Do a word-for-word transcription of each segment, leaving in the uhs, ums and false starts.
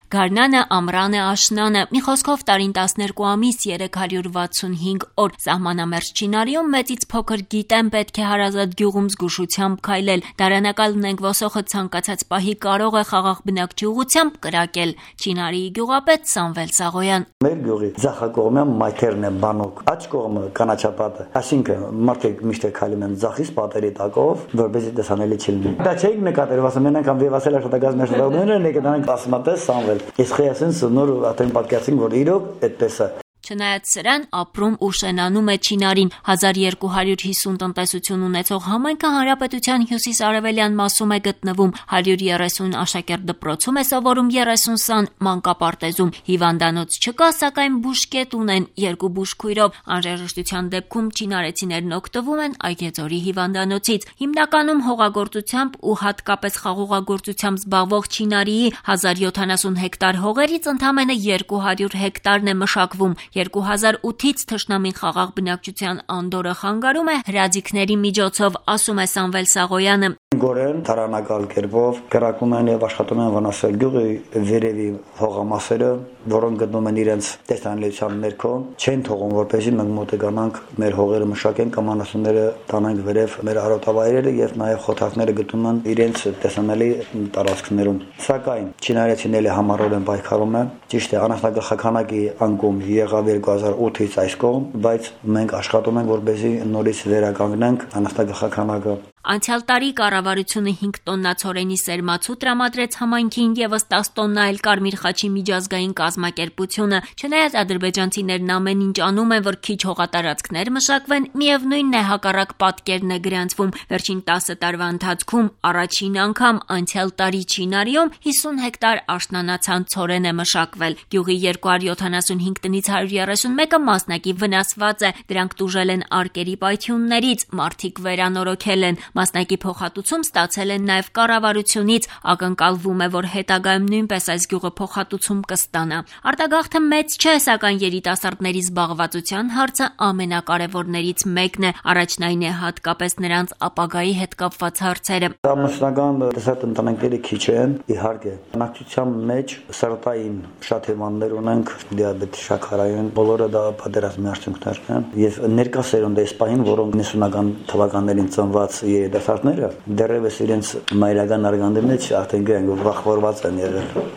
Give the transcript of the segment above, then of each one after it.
Գարնանը, ամռանը, աշնանը, մի խոսքով տարին տասներկու ամիս, երեք հարյուր վաթսունհինգ օր սահմանամերձ Չինարիում մեծից փոքր գիտեմ պետք է հարազատ գյուղում զգուշությամբ քայլել, դարանակալ ունենք ոսոխը ցանկացած պահի կարող է խաղաղ բնակչի ուղղությամբ կրակել։ Չինարիի գյուղապետ Սամվել Սաղոյան: Մեր գյուղի ձախակողմը մայթերն է բանոկ, աջ կողմը կանաչապատը, այսինքն մարդիկ միշտ քայլում են ձախից պատերի տակով, որպեսզի տեսանելի չլինի։ Դա չէի նկատել, ասում են անգամ վեվասել աշխատակազմի աշխատողներն են եկել ասմատես Սամվել։ Ես խեյասին նոր ատեն պատկերացին, որ իրոք այդպես է։ Չնայած սրան ապրում ու շենանում է Չինարին, հազար երկու հարյուր հիսուն տնտեսություն ունեցող համայնքը հանրապետության հյուսիս-արևելյան մասում է գտնվում, հարյուր երեսուն աշակերտ դպրոցում է սովորում երեսուն սան մանկապարտեզում, հիվանդանոց չկա, սակայն բուժկետ ունեն երկու բուժքույրով, անհրաժեշտության դեպքում չինարեցիներն օգտվում են Այգեձորի հիվանդանոցից, հիմնականում հողագործությամբ ու հատկապես խաղողագործությամբ զբաղվող Չինարիի հազար յոթանասուն հեկտար հողերից ընդամենը երկու հարյուր հեկտարն է մշակվում, երկու հազար ութից թշնամին խաղաղ բնակչության անդորը խանգարում է հրաձիգների միջոցով, ասում է Սամվել Սաղոյանը։ Գորեն տարանակալ կերպով կրակում են եւ աշխատում են վնասել գյուղի վերևի հողամասերը, որոնք գտնվում են իրենց տեսանելիության ներքո, չեն թողում, որպեսզի մենք մոտենանք մեր հողերը մշակեն կամ անասունները տանենք վերև մեր արոտավայրերը եւ նաեւ խոթակները գտնվում են իրենց տեսանելի տարածքներում։ Սակայն չինարեցիները համառորեն պայքարում են, ճիշտ է, անասնագլխականակի անկում եղավ երկու հազար ութից այս կողմ, բայց մենք աշխատում ենք, որպեսզի նորից վերականգնենք անասնագլխականակը։ Անցյալ տարի կառավարությունը հինգ տոննա ցորենի սերմացու տրամադրեց համայնքին եւս տասը տոննա էլ Կարմիր խաչի միջազգային կազմակերպությունը։ Չնայած ադրբեջանցիներն ամեն ինչ անում են, որ քիչ հողատարածքներ մշակվեն, միևնույնն է հակառակ պատկերն է գրանցվում։ Վերջին տասը տարվա ընթացքում առաջին անգամ անցյալ տարի Չինարիում հիսուն հեկտար աշնանացան ցորեն է մշակվել։ Գյուղի երկու հարյուր յոթանասունհինգ տնից հարյուր երեսուն մեկը մասնակի վնասված է, դրանք տուժել են արկերի պայթյուններից, մարդիկ վերանորոգել են, մասնակի փոխհատուցում ստացել են նաև կառավարությունից, ակնկալվում է, որ հետագայում նույնպես այս գյուղը փոխհատուցում կստանա։ Արտագաղթը մեծ չէ, սակայն երիտասարդների զբաղվածության հարցը ամենակարևորներից մեկն է, առաջն այն է հատկապես նրանց ապագայի հետ կապված հարցերը։ Ամուսնական տեսած ընտանիքները քիչ են, իհարկե, բնակչության մեջ սրտային շատ հիվանդներ ունենք, դիաբետ, շաքարային, բոլորը դա պատերազմի արդյունքներն են, եւ ներկա սերունդը այս պահին, որոնք նիսունական թվականներին ծնված երիտասարդները դեռևս իրենց մայրական արգանդի մեջ արդեն գրեն վախվորված են եղել։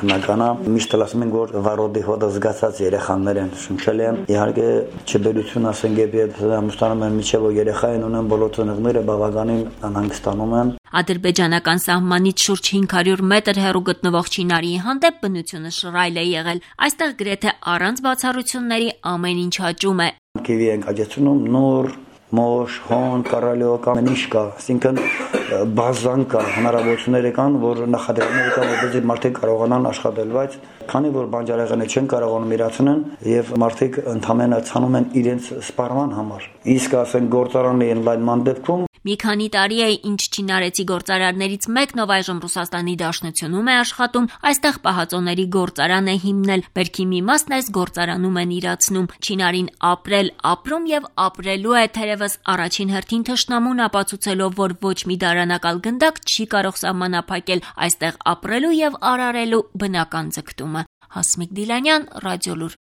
Բնականա միշտ ասում են, որ վարորդի հոտը զգացած երեխաներ են, շնչել են, իհարկե չբերություն ասենք երբ ամուսնանում են միջև երեխա են ունեն, բոլոր ծնողները բավականին անհանգստանում են։ Ադրբեջանական սահմանից շուրջ հինգ հարյուր մետր հեռու գտնվող Չինարիի հանդեպ բնությունը շռայլ է եղել։ Այստեղ գրեթե առանց բացառությունների ամեն ինչ հաճում է։ Կիվի ենք աճեցնում նոր մոշ, հոն, կարալիոկ, ամեն ինչ կա, այսինքն բազան կա, հնարավորություններ կան, որ նախադրյալներ կան, որպեսզի մարդիկ կարողանան աշխատել, բայց քանի որ բանջարեղենը չեն կարողանում իրացնել եւ մարդիկ ընդհանրապես ցանում են իրենց սպառման համար։ Իսկ ասեն գործարանի ընդլայնման դեպքում Մի քանի տարի է, ինչ չինարեցի գործարարներից մեկն, ով այժմ Ռուսաստանի Դաշնությունում է աշխատում, այստեղ պահածոների գործարան է հիմնել։ Բերքի մի մասն այս գործարանում են իրացնում։ Չինարին ապրել, ապրում եւ ապրելու է, թերևս առաջին հերթին թշնամուն ապացուցելով, որ ոչ մի դարանակալ գնդակ չի կարող սահմանափակել այստեղ ապրելու եւ արարելու բնական ձգտումը։ Հասմիկ Դիլանյան, Ռադիոլուր։